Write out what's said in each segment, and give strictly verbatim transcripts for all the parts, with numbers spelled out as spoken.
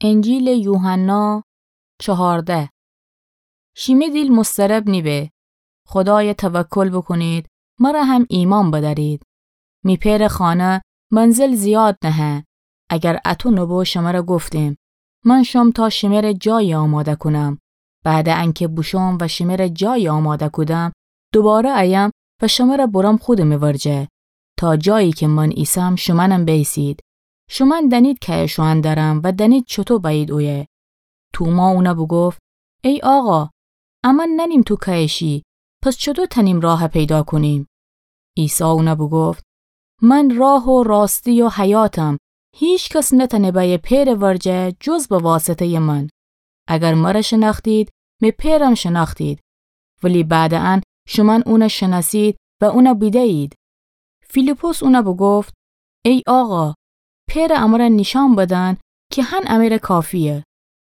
انجیلٚ یوحنا چهارده. شیمه دیل مضطرب نیبه. خودایَ توکل بوکونید، مرَ هم ایمأن بدأرید. می پئرٚ خانه منزل زیاد نهه. اگر اطو نوبو شمرَ گفتیم، من شوم تا شمره جایی آماده کونم. بعدٚ انکه بوشوم و شمره جایی آماده کودم، دوباره ایم و شمرَ بورم خودمٚ ورجه، تا جایی که من ایسم شومأنم بیسید. شومأن دأنید کأیه شوئن درم و دأنید چوطو بأیید اویه. توما اونَ بوگفت: ای آقا، امأن نأنیم تو کأیه شی، پس چوطو تأنیم راهَ پیدا کونیم؟ عیسی اونَ بوگفت: من راه و راستی و حیاتم، هیکس نتأنه بأیه پئرٚ ورجه جز به واسطه‌یٚ من. اگر مرَ شنأختید، می پئرم شنأختید. ولی بعدٚ ان شومأن اونَ شنأسید و اونَ بیده‌یید. فیلیپس اونَ بوگفت: ای آقا، پئرَ امرَ نیشأن بدن که هن امره کافییه.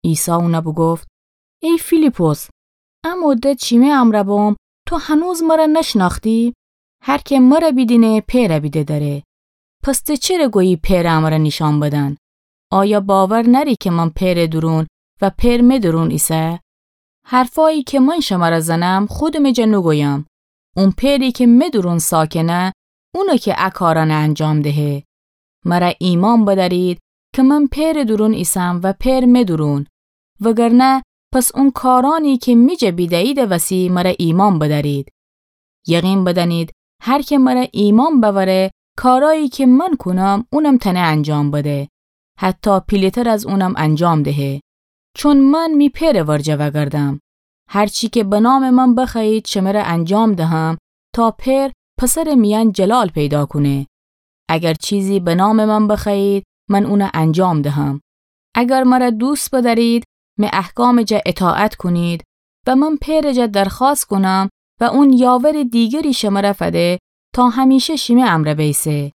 عیسی اونَ بوگفت: ای فیلیپس، ا مدت شیمه امرَ بوم، تو هنوز مرَ نشنأختی؟ هر که مرَ بیدینه، پئرَ بیده دأره. پس ته چره گویی پئرَ امرَ نیشأن بدن؟ آیا باور نأری که من پئرٚ دورون و پئر می دورون ایسه؟ حرفأیی که من شمرَ زنم، خودمٚ جا نوگویم. اون پئری که می دورون ساکنه، اونَ که ا کارأنَ انجام دهه. مرَ ایمأن بدأرید که من پئرٚ دورون ایسم و پئر می دورون. وگرنه پس اون کارأنی که می جا بیده‌ییدٚ وسی مرَ ایمأن بدأرید. یقین بدأنید، هر که مرَ ایمأن بأوره، کارأیی که من کونم، اونم تأنه انجام بده. حتی پیله‌تر از اونم انجام دهه. چون من می پئرٚ ورجه وأگردم. هر چی که به نامٚ من بخوأیید، شمره انجام دهم، تا پئر پسرٚ میأن جلال پیدا کونه. اگر چیزی به نامٚ من بخوأیید، من اونَ انجام دهم. اگر مرَ دوست بدأرید، می احکامٚ جا اطاعت کونید و من پئرٚ جا درخوأست کونم و اون یاورٚ دیگری شمرَ فده تا همیشه شیمه امرَ بیسه،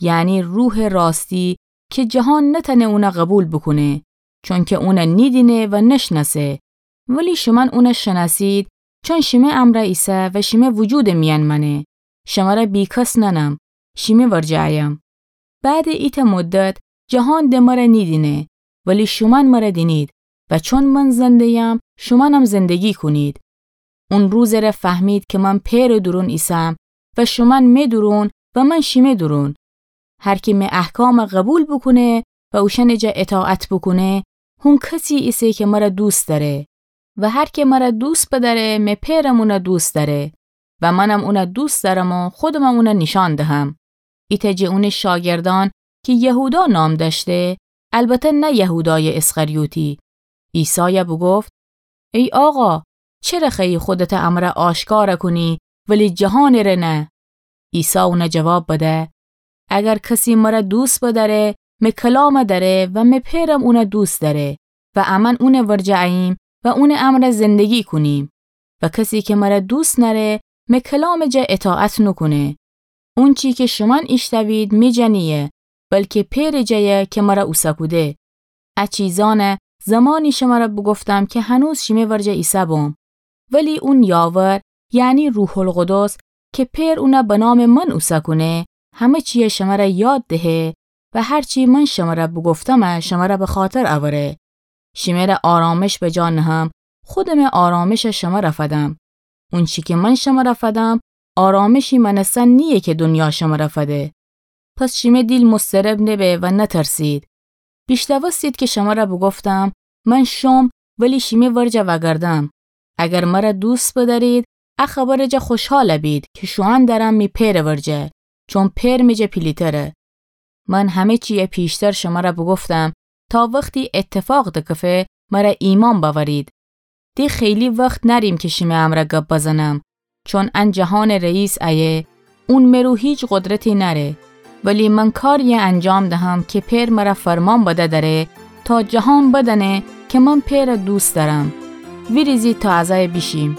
یعنی روحٚ راستی که جهان نتأنه اونَ قوبیل بوکونه، چونکه اونَ نیدینه و نشنأسه. ولی شومأن اونَ شنأسید، چون شیمه امرَ ایسه و شیمه وجودٚ میأن مأنه. شمرَ بیکس نأنم، شیمه ورجه ایم. بعدٚ ایتأ مدت جهان د مرَ نیدینه، ولی شومأن مرَ دینید و چون من زنده‌یم، شومأنم زندگی کونید. اون روزٚ ره فهمید که من پئرٚ دورون ایسم و شومأن می دورون و من شیمه دورون. هر کی می احکامَ قوبیل بوکونه و اوشأنٚ جا اطاعت بوکونه، هون کسی ایسه که مرَ دوست دأره. و هر کی مرَ دوست بدأره، می پئرم اونَ دوست دأره و منم اونَ دوست دأرم و خودمم اونَ نیشأن دهم. ایتأ جٚه اونٚ شاگردأن کی یهودا نام دأشته، البته نه یهودایٚ اسخریوطی، عیسایَ بوگفت: ای آقا، چره خوأیی خودتَ امرَ آشکارَ کونی ولی جهانٚ ره نه؟ عیسی اونَ جواب بده: اگر کسی مرَ دوست بدأره، می کلامَ دأره و می پئرم اونَ دوست دأره و امأن اونٚ ورجه اییم و اونٚ امرأ زندگی کونیم. و کسی کی مرَ دوست نأره، می کلامٚ جا اطاعت نوکونه. اونچی کی شومأن ایشتوید می جا نییه، بلکی پئرٚ جایه کی مرَ اوسه کوده. ا چیزأنَ زمانی شمرَ بوگفتم کی هنوز شیمه ورجه ایسه بوم. ولی اون یاور، یعنی روح‌القدس، کی پئر اونَ به نامٚ من اوسه کونه، همه چیَ شمرَ یاد دهه و هر چی من شمرَ بوگفتمَ شمرَ به خاطر اوره. شیمه ره آرامش به جا نهم، خودمٚ آرامشَ شمرَ فدم. اونچی کی من شمرَ فدم، آرامشی مانستن نییه کی دونیا شمرَ فده. پس شیمه دیل مضطرب نبه و نترسید. بیشنوستید کی شمرَ بوگفتم، من شوم ولی شیمه ورجه وأگردم. اگر مرَ دوست بدأرید، ا خبرٚ جا خوشحال بید کی شوئن درم می پئرٚ ورجه، چون پئر می جا پیلی‌تره. من همه چیَ پیشتر شمرَ بوگفتم، تا وختی ایتفاق دکفه مرَ ایمأن بأورید. د خیلی وخت نأریم کی شیمه امرَ گب بزنم، چون ان جهانٚ رئیس ایه، اون مرو هیچ قدرتی نأره. ولی من کاریَ انجام دهم کی پئر مرَ فرمان بده دره، تا جهان بدأنه کی من پئرَ دوست دأرم. ویریزید تا از ایه بیشیم.